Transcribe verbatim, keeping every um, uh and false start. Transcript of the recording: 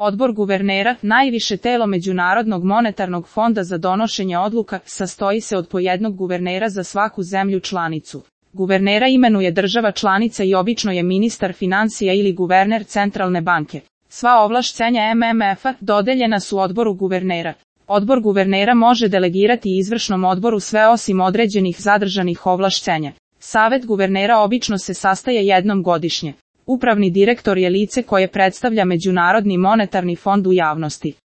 Odbor guvernera, najviše telo Međunarodnog monetarnog fonda za donošenje odluka, sastoji se od po jednog guvernera za svaku zemlju članicu. Guvernera imenuje država članica i obično je ministar financija ili guverner centralne banke. Sva ovlašćenja M M F-a dodeljena su odboru guvernera. Odbor guvernera može delegirati izvršnom odboru sve osim određenih zadržanih ovlašćenja. Savet guvernera obično se sastaje jednom godišnje. Upravni direktor je lice koje predstavlja Međunarodni monetarni fond u javnosti.